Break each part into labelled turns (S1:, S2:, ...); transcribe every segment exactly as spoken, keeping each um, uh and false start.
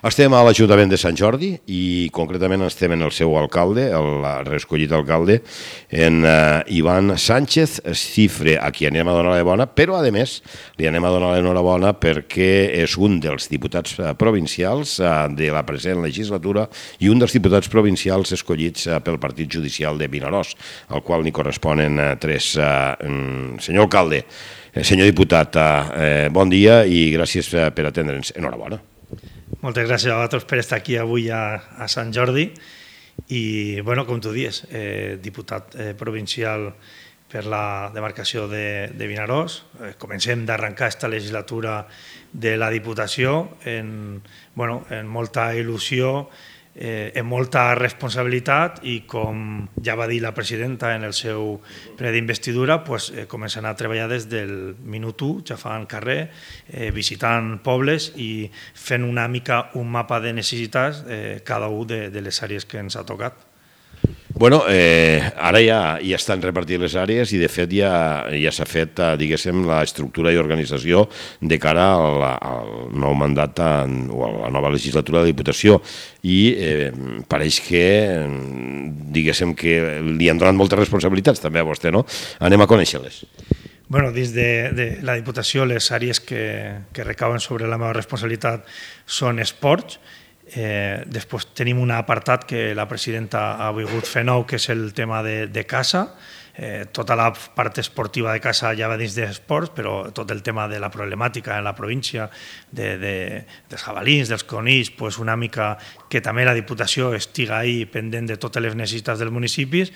S1: Estem a l'Ajuntament de Sant Jordi i concretament estem en el seu alcalde, el reescollit alcalde, en uh, Ivan Sánchez Cifre, a qui anem a donar l'enhorabona, però a més li anem a donar l'enhorabona perquè és un dels diputats provincials uh, de la present legislatura i un dels diputats provincials escollits uh, pel Partit Judicial de Vinaròs, al qual n'hi corresponen uh, tres. Uh, um, senyor alcalde, eh, senyor diputat, uh, bon dia i gràcies uh, per atendre'ns. Enhorabona.
S2: Moltes gràcies a vosaltres per estar aquí avui a, a Sant Jordi i, bueno, com tu dius, eh, diputat eh, provincial per la demarcació de, de Vinaròs. Eh, comencem d'arrencar aquesta legislatura de la Diputació en, bueno, en molta il·lusió, eh, en molta responsabilitat i, com ja va dir la presidenta en el seu ple d'investidura, pues, eh, començant a treballar des del minut u, xafant carrer, eh, visitant pobles i fent una mica un mapa de necessitats eh, cada un de, de les àrees que ens ha tocat.
S1: Bueno, eh, ara ja, ja estan repartides les àrees i de fet ja, ja s'ha fet, diguéssim, l'estructura i organització de cara al, al nou mandat o a la nova legislatura de la Diputació i eh, pareix que, diguéssim, que li han donat moltes responsabilitats també a vostè, no? Anem a conèixer-les.
S2: Bueno, dins de, de la Diputació les àrees que, que recauen sobre la meva responsabilitat són esports. Eh, després tenim un apartat que la presidenta ha volgut fer nou, que és el tema de, de casa. Eh, tota la part esportiva de casa ja va dins d'esports, però tot el tema de la problemàtica en la província, de, de, dels jabalins, dels conills, pues una mica que també la Diputació estiga ahí pendent de totes les necessitats dels municipis.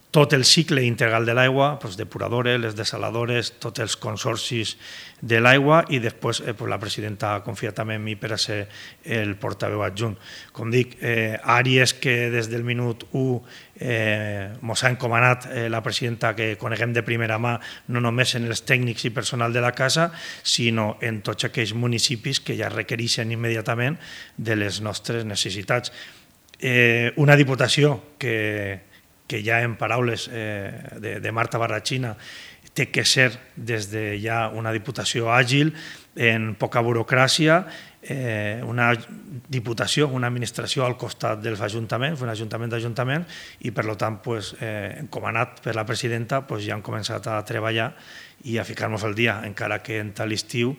S2: Tot el cicle integral de l'aigua, pues, depuradores, les desaladores, tots els consorcis de l'aigua i després eh, pues, la presidenta ha confiat també en mi per a ser el portaveu adjunt. Com dic, eh, àrees que des del minut u eh, mos ha encomanat eh, la presidenta que coneguem de primera mà, no només en els tècnics i personal de la casa, sinó en tots aquells municipis que ja requereixen immediatament de les nostres necessitats. Eh, una diputació que que ja en paraules eh, de, de Marta Barrachina té que ser des de ja una diputació àgil, en poca burocràcia, eh, una diputació, una administració al costat dels ajuntaments, un ajuntament d'ajuntament, i per tant, pues, eh, encomanat per la presidenta, pues, ja hem començat a treballar i a ficar-nos al dia, encara que en tal estiu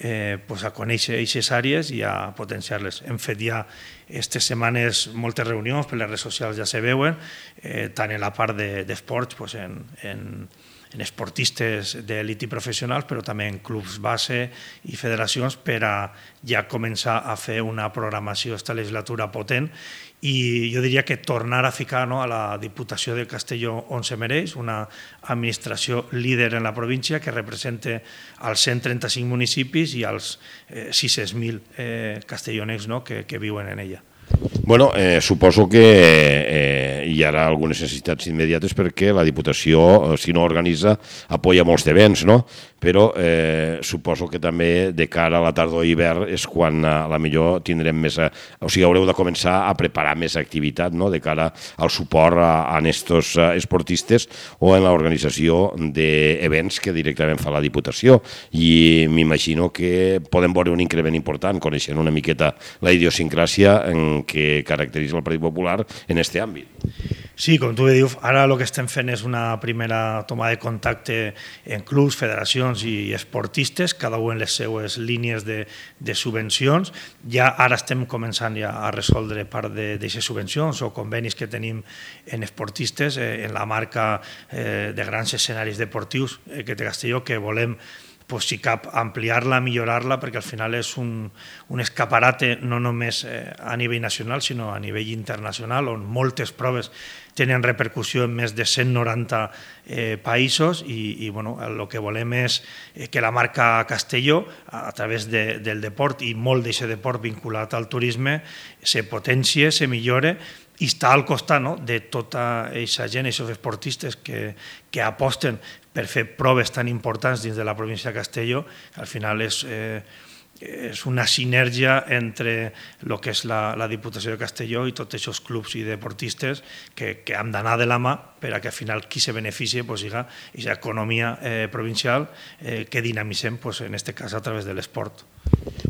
S2: Eh, pues a conèixer aquestes àrees i a potenciar-les. Hem fet ja aquestes setmanes moltes reunions, per les redes socials ja se veuen, eh, tant en la part d'esports, de, pues en, en, en esportistes d'elit i professionals, però també en clubs base i federacions per a ja començar a fer una programació esta legislatura potent i jo diria que tornar a ficar, no, a la Diputació de Castelló on se mereix, una administració líder en la província que represente als cent trenta-cinc municipis i als eh, sis-cents mil eh, castellonencs, no, que, que viuen en ella.
S1: Bueno, eh, suposo que eh, hi haurà algunes necessitats immediates perquè la Diputació, si no organitza, apoya molts d'events, no? Però eh, suposo que també de cara a la tardor i hivern és quan a la millor tindrem més... A, o sigui, haureu de començar a preparar més activitat, no?, de cara al suport a, a estos esportistes o en l'organització d'events que directament fa la Diputació. I m'imagino que podem veure un increment important, coneixent una miqueta la idiosincràsia en que caracteritza el Partit Popular en aquest àmbit.
S2: Sí, com tu bé dius, ara el que estem fent és una primera toma de contacte en clubs, federacions i esportistes, cada un en les seues línies de, de subvencions. Ja ara estem començant ja a resoldre part d'aquestes subvencions o convenis que tenim en esportistes, eh, en la marca eh, de grans escenaris deportius eh, que té Castelló, que volem, pues, si cap, ampliar-la, millorar-la, perquè al final és un, un escaparate no només eh, a nivell nacional, sinó a nivell internacional, on moltes proves tenen repercussió en més de cent noranta eh, països i, i bueno, el que volem és que la marca Castelló, a, a través de, del deport i molt d'aquest deport vinculat al turisme, se potencie, se millore i està al costat, no?, de tota aquesta gent, aquests esportistes que, que aposten per fer proves tan importants dins de la província de Castelló, que al final és, eh, és una sinergia entre el que és la, la Diputació de Castelló i tots aquests clubs i deportistes que, que han d'anar de la mà per a que al final qui se beneficie pues, siga aquesta economia eh, provincial eh, que dinamitzem, pues, en aquest cas a través de l'esport.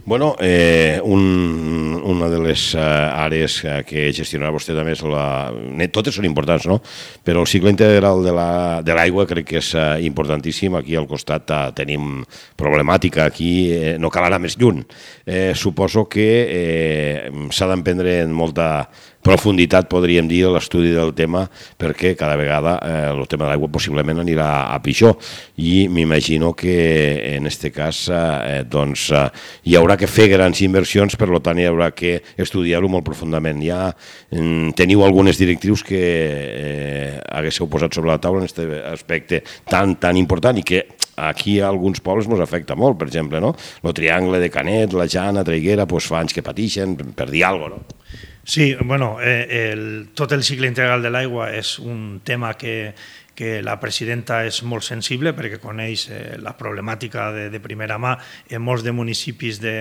S1: Bueno, eh, un, una de les uh, àrees que gestionarà vostè també és la... Totes són importants, no? Però el cicle integral de l'aigua la, crec que és uh, importantíssim. Aquí al costat uh, tenim problemàtica, aquí eh, no cal anar més lluny. Eh, suposo que eh, s'ha d'emprendre en molta profunditat, podríem dir, l'estudi del tema, perquè cada vegada eh, el tema de l'aigua possiblement anirà a pitjor. I m'imagino que en aquest cas eh, doncs, eh, hi haurà que fer grans inversions, per tant hi haurà que estudiar-ho molt profundament. Ja mm, teniu algunes directrius que eh, haguéssiu posat sobre la taula en aquest aspecte tan, tan important i que aquí a alguns pobles ens afecta molt, per exemple, no? El triangle de Canet, la Jana, Traiguera, doncs fa anys que pateixen, per dir alguna cosa, no?
S2: Sí, bueno, eh, el, tot el cicle integral de l'aigua és un tema que, que la presidenta és molt sensible perquè coneix eh, la problemàtica de, de primera mà en molts de municipis de,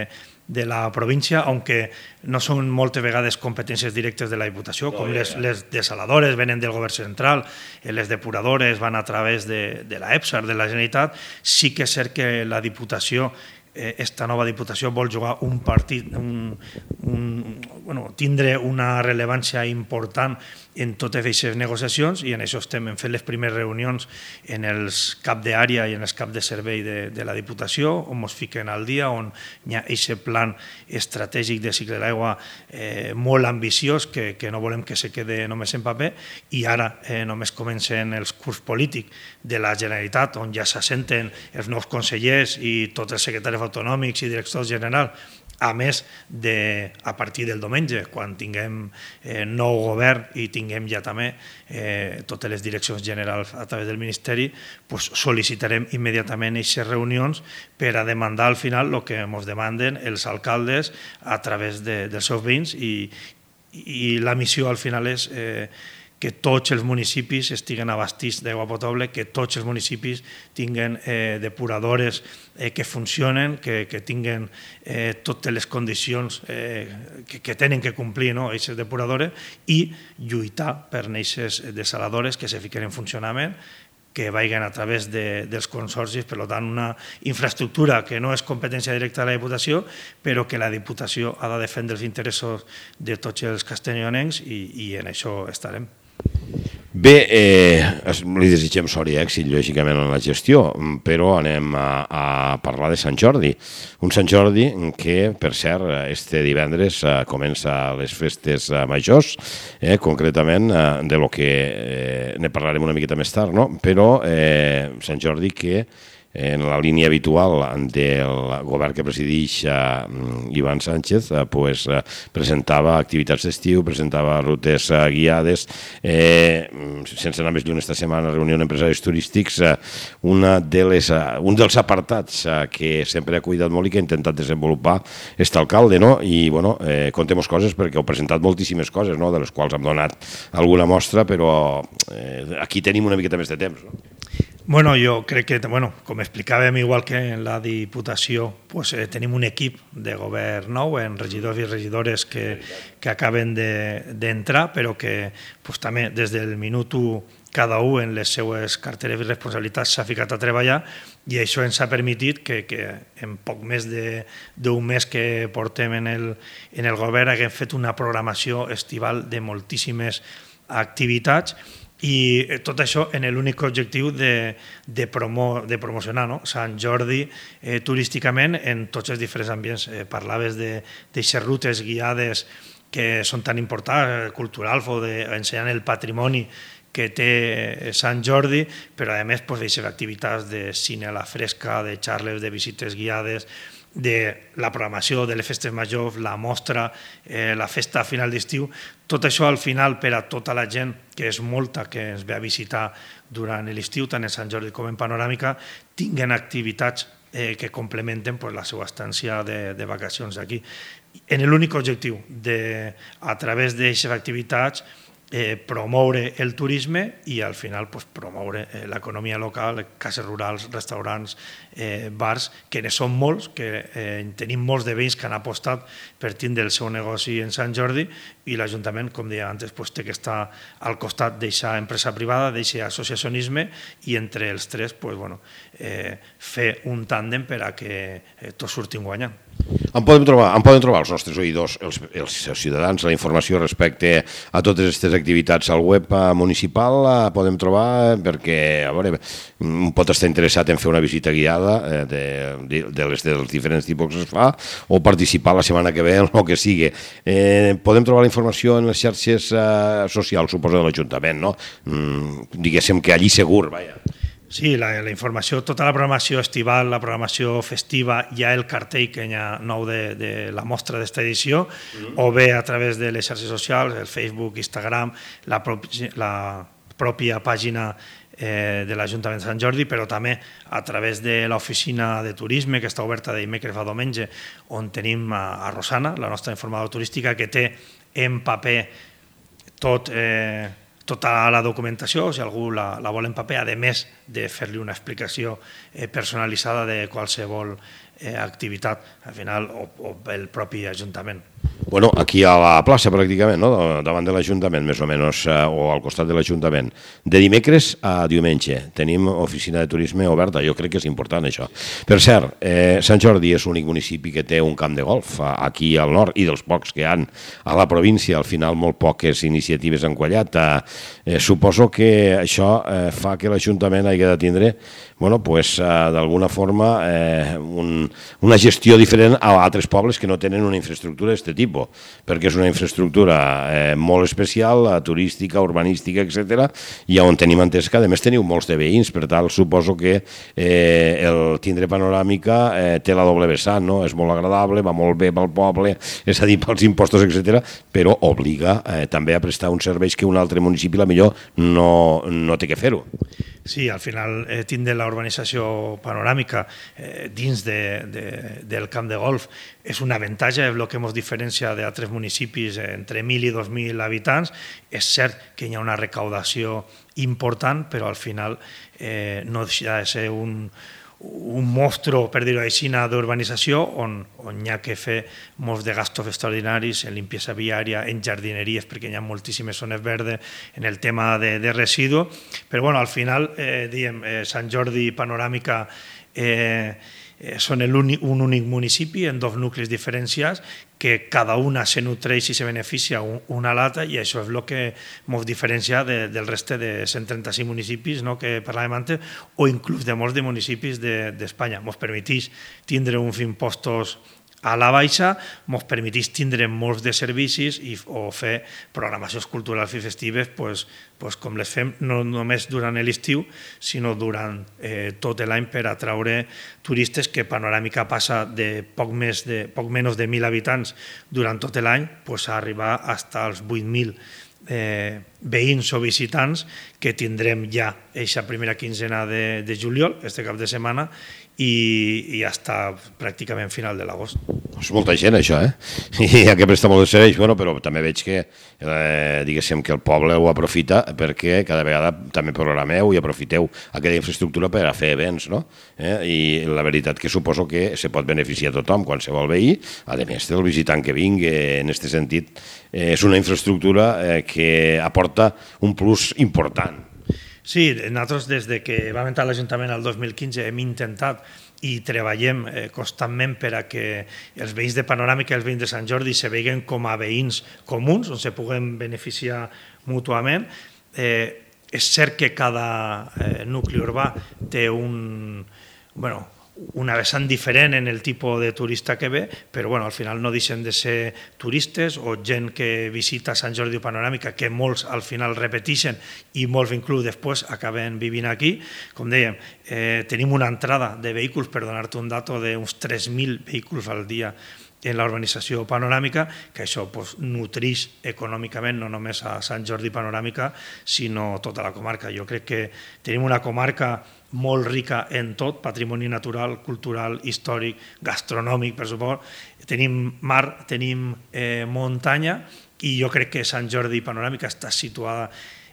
S2: de la província, aunque no són moltes vegades competències directes de la Diputació, com les, les desaladores venen del govern central, les depuradores van a través de, de la EPSAR, de la Generalitat. Sí que és cert que la Diputació, esta nova Diputació, vol jugar un partit, un, un, bueno, tindre una rellevància important en totes aquestes negociacions, i en això estem hem fet les primeres reunions en els cap d'àrea i en els cap de servei de, de la Diputació, on ens fiquen al dia, on hi ha aquest plan estratègic de cicle de l'aigua eh, molt ambiciós, que, que no volem que se quede només en paper, i ara eh, només comencen els curs polítics de la Generalitat, on ja s'assenten els nous consellers i tots els secretaris autonòmics i directors generals, a més de, a partir del diumenge, quan tinguem eh, nou govern i tinguem ja també eh, totes les direccions generals a través del Ministeri, pues sol·licitarem immediatament aquestes reunions per a demandar al final el que ens demanden els alcaldes a través de, dels seus veïns, i, i la missió al final és eh, que tots els municipis estiguen abastits d'aigua potable, que tots els municipis tinguen eh, depuradores eh, que funcionen, que, que tinguen eh, totes les condicions eh, que, que tenen que complir, no, aquestes depuradores, i lluitar per aquestes desaladores que se fiquen en funcionament, que vagin a través de, dels consorcis, per tant, una infraestructura que no és competència directa de la Diputació, però que la Diputació ha de defendre els interessos de tots els castellonencs, i, i en això estarem.
S1: Bé, eh, li desitgem sort i èxit, lògicament, en la gestió, però anem a, a parlar de Sant Jordi. Un Sant Jordi que, per cert, este divendres eh, comença les festes eh, majors, eh, concretament eh, de lo que eh, ne parlarem una miqueta més tard, no? Però eh, Sant Jordi que en la línia habitual del govern que presideix uh, Ivan Sánchez, uh, pues, uh, presentava activitats d'estiu, presentava rutes uh, guiades, eh, sense anar més lluny esta setmana, reunió d'empresaris turístics, uh, una de les, uh, un dels apartats uh, que sempre ha cuidat molt i que ha intentat desenvolupar este alcalde, no? I, bueno, eh, contem coses perquè heu presentat moltíssimes coses, no?, de les quals hem donat alguna mostra, però eh, aquí tenim una miqueta més de temps, no?
S2: Bueno, jo crec que, bueno, com explicàvem, igual que en la Diputació, pues, eh, tenim un equip de govern nou, en regidors i regidores que, que acaben d'entrar, de, però que pues, també des del minut u cada un en les seues carteres i responsabilitats s'ha ficat a treballar, i això ens ha permitit que, que en poc més d'un mes que portem en el, en el govern haguem fet una programació estival de moltíssimes activitats, i tot això en l'únic objectiu de, de, promo, de promocionar, no?, Sant Jordi eh, turísticament en tots els diferents ambients. Eh, parlaves d'aixes rutes guiades que són tan importants, culturals, o d'ensenyar el patrimoni que té Sant Jordi, però a més pues, d'aixes activitats de cine a la fresca, de xarles, de visites guiades, de la programació de les festes majors, la mostra, eh, la festa a final d'estiu. Tot això al final per a tota la gent, que és molta, que ens ve a visitar durant l'estiu, tant en Sant Jordi com en Panoràmica, tinguen activitats eh, que complementen pues, la seva estància de, de vacacions aquí. En l'únic objectiu de, a través d'aquestes activitats, Eh, promoure el turisme i al final pues, promoure eh, l'economia local, cases rurals, restaurants, eh, bars, que ne són molts, que eh, tenim molts de veïns que han apostat per tindre el seu negoci en Sant Jordi, i l'Ajuntament, com deia antes, pues, té que estar al costat d'aquesta empresa privada, d'aquest associacionisme, i entre els tres pues, bueno, eh, fer un tàndem per a que eh, tots surtin guanyant.
S1: On podem trobar, on poden trobar els nostres oïdors, els, els ciutadans, la informació respecte a totes aquestes activitats al web municipal? La podem trobar perquè, a veure, pot estar interessat en fer una visita guiada eh, de, de, de les dels diferents tipus que es fa, o participar la setmana que ve en el que sigui. Eh, podem trobar la informació en les xarxes eh, socials, suposo, de l'Ajuntament, no? Mm, diguéssim que allí segur, vaja.
S2: Sí, la, la informació, tota la programació estival, la programació festiva, hi ha el cartell que hi ha nou de, de la mostra d'esta edició, mm. o bé a través de les xarxes socials, el Facebook, Instagram, la, propi, la pròpia pàgina eh, de l'Ajuntament de Sant Jordi, però també a través de l'oficina de turisme que està oberta de dimecres a diumenge, on tenim a, a Rosana, la nostra informadora turística, que té en paper tot... Eh, tota la documentació, si algú la, la vol en paper, a més de fer-li una explicació eh, personalitzada de qualsevol eh, activitat, al final, o, o el propi Ajuntament.
S1: Bueno, aquí a la plaça, pràcticament, no? Davant de l'Ajuntament, més o menys, eh, o al costat de l'Ajuntament. De dimecres a diumenge tenim oficina de turisme oberta, jo crec que és important això. Per cert, eh, Sant Jordi és l'únic municipi que té un camp de golf aquí al nord, i dels pocs que hi ha a la província, al final molt poques iniciatives han quallat. Eh, suposo que això eh, fa que l'Ajuntament hagi de tindre, bueno, pues, eh, d'alguna forma, eh, un, una gestió diferent a altres pobles que no tenen una infraestructura d'aquest tipus, perquè és una infraestructura eh, molt especial, turística, urbanística, etcètera, i on tenim entès que, a més, teniu molts de veïns, per tant, suposo que eh, el tindre panoràmica eh, té la doble vessant, no? És molt agradable, va molt bé pel poble, és a dir, pels impostos, etcètera, però obliga eh, també a prestar uns serveis que un altre municipi, la millor, no, no té que fer-ho.
S2: Sí, al final eh, tindre la urbanització panoràmica eh, dins de, de, del camp de golf és un avantatge, és el que ens diferencia d'altres municipis entre mil i dos mil habitants. És cert que hi ha una recaudació important, però al final eh, no deixa de ser un, un mostro, per dir-ho així, d'urbanització on, on hi ha que fer molts de gastos extraordinaris en limpiesa viària, en jardineries, perquè hi ha moltíssimes zones verdes, en el tema de, de residu. Però bueno, al final, eh, diem, eh, Sant Jordi i Panoràmica eh, eh, són únic, un únic municipi en dos nuclis diferenciats que cada una se nutreix i se beneficia una a l'altra, i això és el que ens diferencia de, del reste de cent trenta-cinc municipis, no?, que parlàvem antes, o inclús de molts de municipis d'Espanya. De, ens permeteix tindre uns impostos a la baixa, ens permeteix tindre molts de servicis i, o fer programacions culturals i festives pues, pues, com les fem no només durant l'estiu, sinó durant eh, tot l'any per atraure turistes, que Panoràmica passa de poc, més de, poc menys de mil habitants durant tot l'any pues, a arribar fins als vuit mil eh, veïns o visitants que tindrem ja aquesta primera quinzena de, de juliol, este cap de setmana, i, i hasta pràcticament final de l'agost.
S1: És molta gent, això, eh? I ha que prestar molt de serveis, bueno, però també veig que, eh, diguéssim, que el poble ho aprofita perquè cada vegada també programeu i aprofiteu aquella infraestructura per a fer events, no? Eh? I la veritat que suposo que se pot beneficiar tothom, qualsevol veí, a més del visitant que vingui, en aquest sentit, eh, és una infraestructura eh, que aporta un plus important.
S2: Sí, nosaltres des de que vam entrar a l'Ajuntament el dos mil quinze hem intentat i treballem eh, constantment per a que els veïns de Panoràmica i els veïns de Sant Jordi se veguen com a veïns comuns, on se puguen beneficiar mútuament. Eh, és cert que cada eh, nucli urbà té un... bueno, una vessant diferent en el tipus de turista que ve, però bueno, al final no deixen de ser turistes o gent que visita Sant Jordi o Panoràmica, que molts al final repeteixen i molts inclús després acaben vivint aquí. Com dèiem, eh, tenim una entrada de vehicles, per donar-te un dato, d'uns tres mil vehicles al dia en la urbanització Panoràmica, que això pues, nutreix econòmicament no només a Sant Jordi Panoràmica, sinó tota la comarca. Jo crec que tenim una comarca molt rica en tot, patrimoni natural, cultural, històric, gastronòmic, per supost. Tenim mar, tenim eh, muntanya, i jo crec que Sant Jordi Panoràmica està situada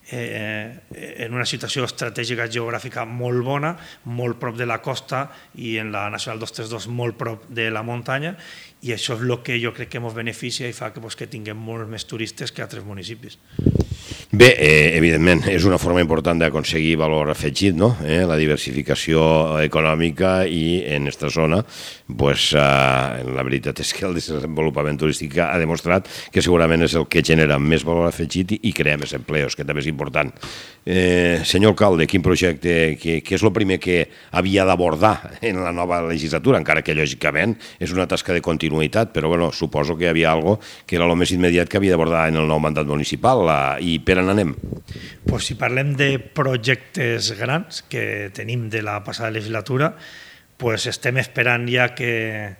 S2: eh, en una situació estratègica geogràfica molt bona, molt prop de la costa, i en la Nacional dos trenta dos molt prop de la muntanya, i això és el que jo crec que ens beneficia i fa que, pues, que tinguem molts més turistes que altres municipis.
S1: Bé, eh, evidentment, és una forma important d'aconseguir valor afegit, no? Eh, la diversificació econòmica i en aquesta zona, pues, eh, la veritat és que el desenvolupament turístic ha demostrat que segurament és el que genera més valor afegit i, i crea més empleos, que també és important. Eh, senyor alcalde, quin projecte, què, què és el primer que havia d'abordar en la nova legislatura, encara que lògicament és una tasca de continuïtat, però bueno, suposo que hi havia algo que era el més immediat que havia d'abordar en el nou mandat municipal, la, i per on anem?
S2: Pues si parlem de projectes grans que tenim de la passada legislatura, pues estem esperant ja que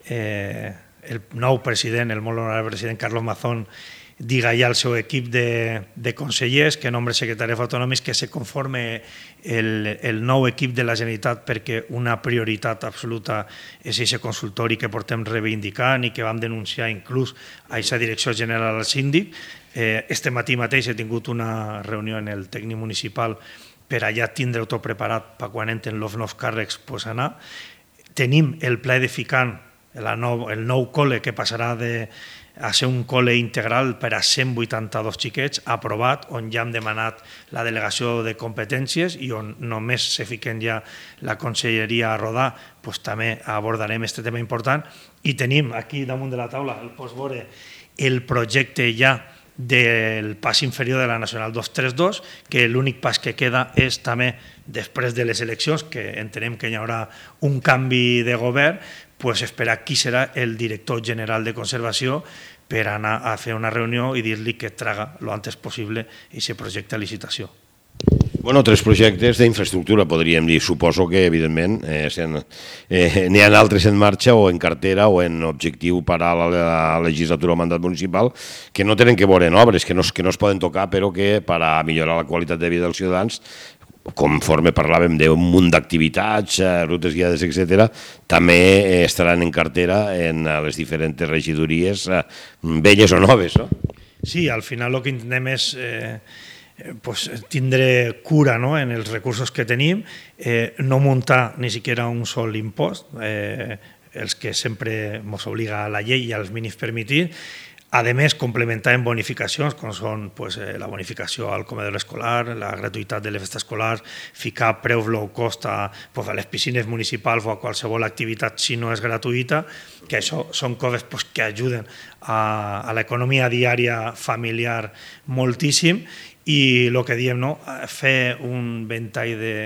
S2: eh, el nou president, el molt honorable president Carlos Mazón, diga ja al seu equip de, de consellers, que nombre secretaris autonòmics, que se conforme el, el nou equip de la Generalitat, perquè una prioritat absoluta és aquest consultori que portem reivindicant i que vam denunciar inclús a aquesta direcció general al síndic. Eh, este matí mateix he tingut una reunió en el tècnic municipal per allà tindre-ho tot preparat per quan entren els nous càrrecs pues, anar. Tenim el pla edificant, el nou, el nou col·le que passarà de a ser un col·le integral per a cent vuitanta-dos xiquets, aprovat, on ja hem demanat la delegació de competències i on només se fiquen ja la conselleria a rodar, doncs també abordarem aquest tema important. I tenim aquí damunt de la taula, el pots veure, el projecte ja del pas inferior de la Nacional dos trenta dos, que l'únic pas que queda és també, després de les eleccions, que entenem que hi haurà un canvi de govern, pues esperar qui serà el director general de conservació per anar a fer una reunió i dir-li que traga lo antes possible aquest projecte a licitació.
S1: Bueno, tres projectes d'infraestructura, podríem dir. Suposo que, evidentment, eh, eh, n'hi ha altres en marxa o en cartera o en objectiu per a la, la legislatura o mandat municipal que no tenen que veure en obres, que no, que no es poden tocar, però que per a millorar la qualitat de vida dels ciutadans, conforme parlàvem d'un munt d'activitats, rutes guiades, etcètera, també estaran en cartera en les diferents regidories, velles o noves, no?
S2: Sí, al final el que intentem és eh, pues, tindre cura, no?, en els recursos que tenim, eh, no muntar ni siquiera un sol impost, eh, els que sempre ens obliga a la llei i als mínims permitir. A més, complementar en bonificacions, com són pues, la bonificació al comedor escolar, la gratuïtat de les festes escolars, ficar preus low cost a, pues, a les piscines municipals o a qualsevol activitat si no és gratuïta, que això són coses pues, que ajuden a, a l'economia diària familiar moltíssim, i el que diem, no? Fer un ventall de,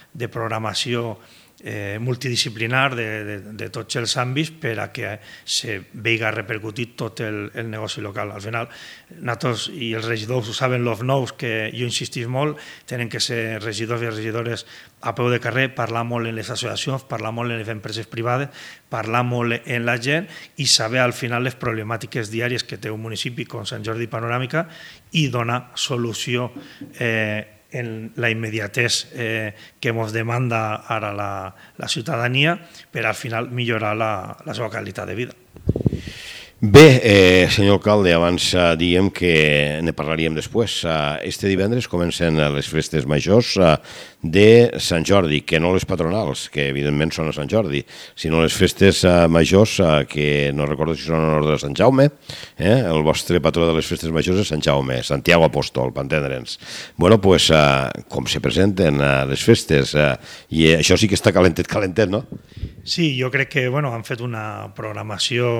S2: de programació Eh, multidisciplinar de, de, de tots els àmbits per a que se veiga repercutit tot el, el negoci local. Al final, nosaltres i els regidors ho saben, els nous, que jo insistís molt, tenen que ser regidors i regidores a peu de carrer, parlar molt en les associacions, parlar molt en les empreses privades, parlar molt en la gent i saber al final les problemàtiques diàries que té un municipi com Sant Jordi Panoràmica i donar solució eh, en la immediatez eh, que ens demanda ara la, la ciutadania per al final millorar la, la seva qualitat de vida.
S1: Bé, eh, senyor alcalde, abans eh, diem que ne parlaríem després. Eh, este divendres comencen les festes majors eh, de Sant Jordi, que no les patronals, que evidentment són a Sant Jordi, sinó les festes eh, majors, eh, que no recordo si són en ordre de Sant Jaume, eh? El vostre patró de les festes majors és Sant Jaume, Santiago Apóstol, per entendre'ns. Bueno, doncs, eh, com se presenten eh, les festes, eh, i això sí que està calentet, calentet, no?
S2: Sí, jo crec que bueno, han fet una programació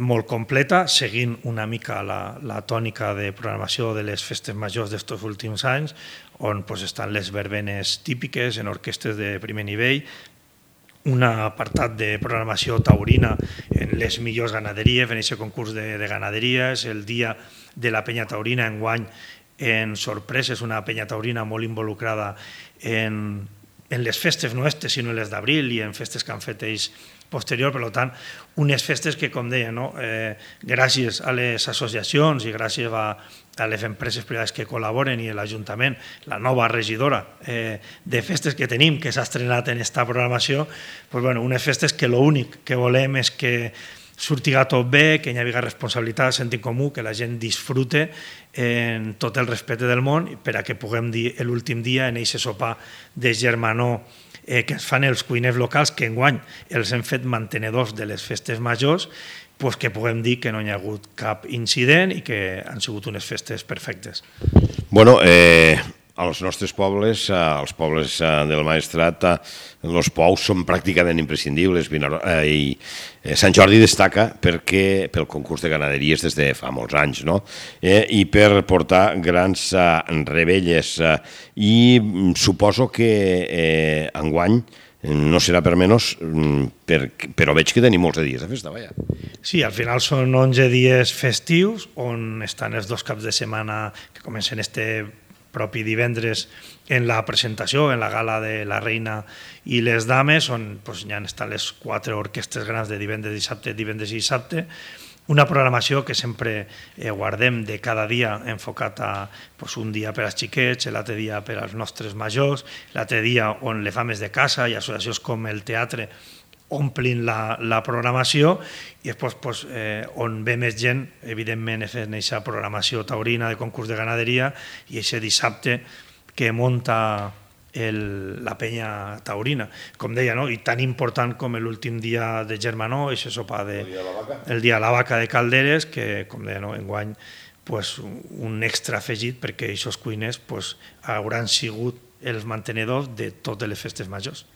S2: molt completa, seguint una mica la, la tònica de programació de les festes majors d'estos últims anys, on pues, estan les verbenes típiques en orquestres de primer nivell, un apartat de programació taurina en les millors ganaderies, en aquest concurs de, de ganaderies, el dia de la penya taurina enguany en sorpreses, una penya taurina molt involucrada en, en les festes no estes, sinó en les d'abril i en festes que han fet ells posterior, per tant, unes festes que, com deia, no? eh, gràcies a les associacions i gràcies a, a les empreses privades que col·laboren i l'Ajuntament, la nova regidora eh, de festes que tenim, que s'ha estrenat en aquesta programació, pues, bueno, unes festes que l'únic que volem és que surtiga tot bé, que hi hagi responsabilitat, sentit comú, que la gent disfrute en tot el respecte del món per a que puguem dir l'últim dia en aquest sopar de germanor eh, que ens fan els cuiners locals, que enguany els hem fet mantenedors de les festes majors, pues que puguem dir que no hi ha hagut cap incident i que han sigut unes festes perfectes.
S1: Bueno, eh, als nostres pobles, als pobles del Maestrat, els pous són pràcticament imprescindibles i Sant Jordi destaca perquè pel concurs de ganaderies des de fa molts anys, no? I per portar grans revetlles. I suposo que enguany no serà per menys, però veig que tenim molts dies de festa, vaja.
S2: Sí, al final són onze dies festius on estan els dos caps de setmana que comencen este propi divendres en la presentació, en la gala de la reina i les dames, on pues, ja estan les quatre orquestres grans de divendres, dissabte, divendres i dissabte, una programació que sempre eh, guardem de cada dia enfocat a pues, un dia per als xiquets, l'altre dia per als nostres majors, l'altre dia on les fames de casa i associacions com el teatre omplin la, la programació i després pues, eh, on ve més gent, evidentment, fent aquesta programació taurina de concurs de ganaderia i aquest dissabte que munta el, la penya taurina, com deia, no? I tan important com l'últim dia de Germanó, aquest sopar de, el dia de la vaca, el dia de la vaca de Calderes, que, com deia, no? Enguany pues, un extra afegit perquè aquests cuiners pues, hauran sigut els mantenedors de totes les festes majors.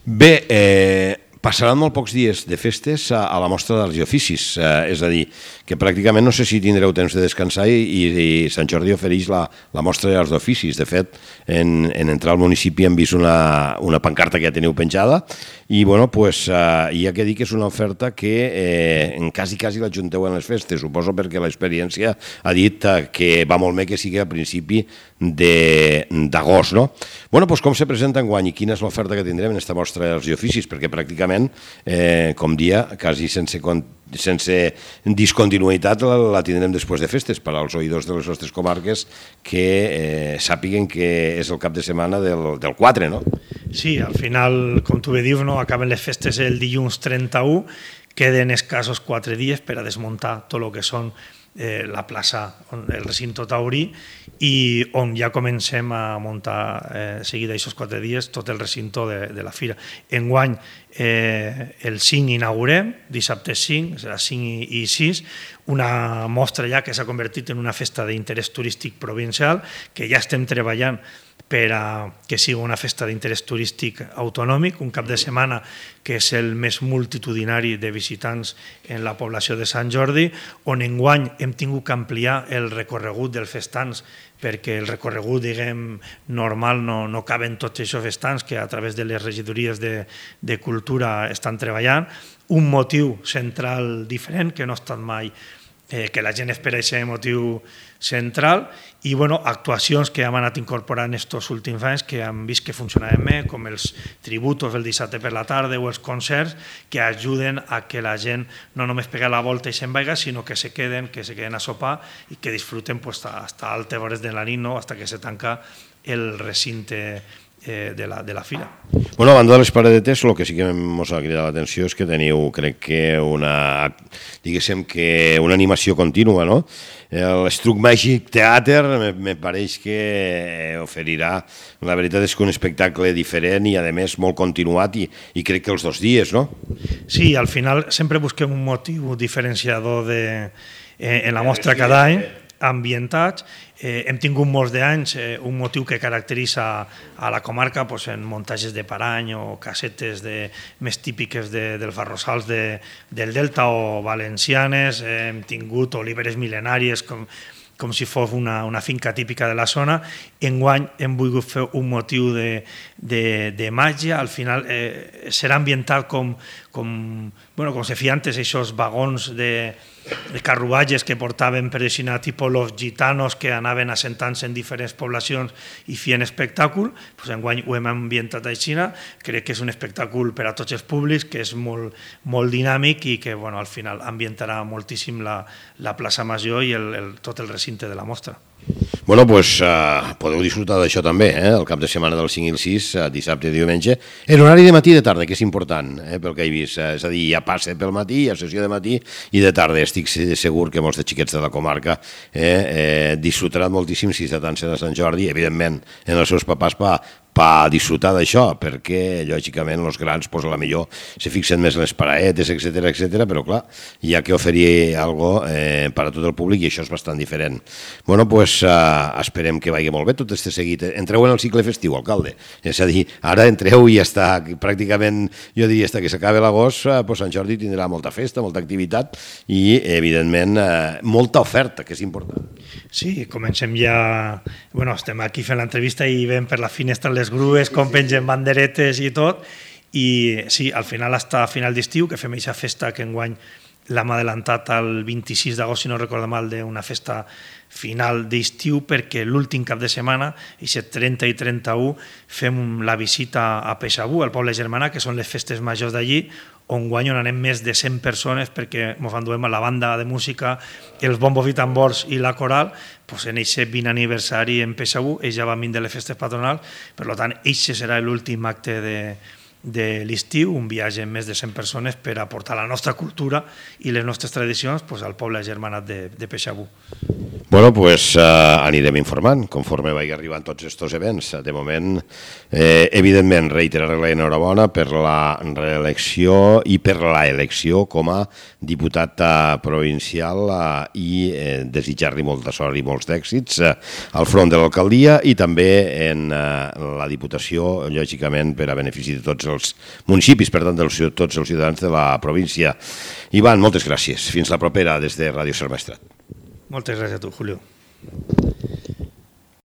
S1: Bé, eh, passaran molt pocs dies de festes a, a la mostra dels oficis, eh, és a dir, que pràcticament no sé si tindreu temps de descansar i, i Sant Jordi ofereix la, la mostra dels oficis. De fet, en, en entrar al municipi hem vist una, una pancarta que ja teniu penjada i, bueno, pues, eh, hi ha que dir que és una oferta que eh, en quasi, quasi l'ajunteu en les festes, suposo perquè l'experiència ha dit eh, que va molt bé que sigui a principi d'agost, no? Bueno, doncs com se presenta enguany i quina és l'oferta que tindrem en aquesta mostra dels oficis? Perquè pràcticament, eh, com dia, quasi sense, sense discontinuïtat la, la tindrem després de festes per als oïdors de les nostres comarques que eh, sàpiguen que és el cap de setmana del, del quatre, no?
S2: Sí, al final, com tu bé dius, no, acaben les festes el dilluns trenta-u, queden escassos quatre dies per a desmuntar tot el que són eh, la plaça, el recinto taurí, i on ja comencem a muntar eh, seguida aquests quatre dies tot el recinto de, de la fira. Enguany, eh, el cinc inaugurem, dissabte cinc, serà cinc i sis, una mostra ja que s'ha convertit en una festa d'interès turístic provincial, que ja estem treballant per a que sigui una festa d'interès turístic autonòmic, un cap de setmana que és el més multitudinari de visitants en la població de Sant Jordi, on enguany hem tingut que ampliar el recorregut dels festans, perquè el recorregut, diguem, normal no, no caben tots aquests festans que a través de les regidories de, de cultura estan treballant. Un motiu central diferent, que no ha estat mai Eh, que la gent espera aquest motiu central i bueno, actuacions que hem anat incorporant estos últims anys que hem vist que funcionaven bé, com els tributos el dissabte per la tarda o els concerts que ajuden a que la gent no només pega la volta i se'n vaiga, sinó que se queden, que se queden a sopar i que disfruten pues, hasta altes hores de la nit, no? Hasta que se tanca el recinte Eh, de, la, de la fira.
S1: Bueno, a banda de les paradetes, el que sí que ens ha cridat l'atenció és que teniu, crec que una, diguéssim que una animació contínua, no? L'Struc Màgic Teater me, me pareix que oferirà, la veritat és que un espectacle diferent i a més molt continuat i, i crec que els dos dies, no?
S2: Sí, al final sempre busquem un motiu diferenciador de, eh, en la mostra cada any, ambientats. Eh, hem tingut molts d'anys eh, un motiu que caracteritza a la comarca pues, en muntatges de parany o casetes de, més típiques de, dels arrossals de, del Delta o valencianes. Eh, hem tingut oliveres mil·lenàries com, com si fos una, una finca típica de la zona. Enguany hem volgut fer un motiu de, de, de màgia. Al final eh, serà ambiental com, com, bueno, com se feia antes, aquests vagons de de carruatges que portaven per aixina tipus los gitanos que anaven assentant-se en diferents poblacions i feien espectacle, doncs enguany ho hem ambientat així, crec que és un espectacle per a tots els públics, que és molt, molt dinàmic i que bueno, al final ambientarà moltíssim la, la plaça Major i el, el, tot el recinte de la mostra.
S1: Bueno, doncs uh, podeu disfrutar d'això també, eh? El cap de setmana del cinc i el sis, uh, dissabte i diumenge, en horari de matí i de tarda, que és important, eh? Pel que he vist. Uh, és a dir, hi ha passe pel matí, hi ha sessió de matí i de tarda. Estic segur que molts de xiquets de la comarca eh, eh, disfrutaran moltíssim si se dansen a Sant Jordi, evidentment, en els seus papàs per per disfrutar d'això, perquè lògicament els grans pues, a la millor se fixen més en les paraetes, etcètera, etcètera, però clar, hi ha que oferir algo eh, per a tot el públic i això és bastant diferent. Bueno, pues eh, esperem que vagi molt bé tot este seguit. Entreu en el cicle festiu, alcalde. És a dir, ara entreu i està pràcticament, jo diria, està que s'acabi l'agost, eh, pues Sant Jordi tindrà molta festa, molta activitat i, evidentment, eh, molta oferta, que és important.
S2: Sí, comencem ja... Bueno, estem aquí fent l'entrevista i veiem per la finestra les grues, com pengen banderetes i tot, i sí, al final, hasta final d'estiu, que fem aquesta festa que enguany l'hem adelantat al vint-i-sis d'agost, si no recordo mal, d'una festa final d'estiu, perquè l'últim cap de setmana, aquest trenta i trenta-u, fem la visita a Peixabú, al poble germana, que són les festes majors d'allí, on guany on anem més de cent persones perquè ens enduem a la banda de música, els bombos i tambors i la coral, doncs en aquest vint aniversari en Peixabú, ells ja van vindre les festes patronals, per tant, aquest serà l'últim acte de, de l'estiu, un viatge amb més de cent persones per aportar la nostra cultura i les nostres tradicions pues, al poble germanat de, de Peixabú.
S1: Bueno, pues eh, anirem informant conforme vagi arribant tots aquests events. De moment, eh, evidentment, reiterar la enhorabona per la reelecció i per la elecció com a diputat provincial eh, i eh, desitjar-li molta sort i molts d'èxits eh, al front de l'alcaldia i també en eh, la diputació, lògicament, per a benefici de tots els municipis, per tant, de tots els ciutadans de la província. Ivan, moltes gràcies. Fins la propera des de Ràdio Sant Maestrat.
S2: Moltes gràcies a tu, Julio.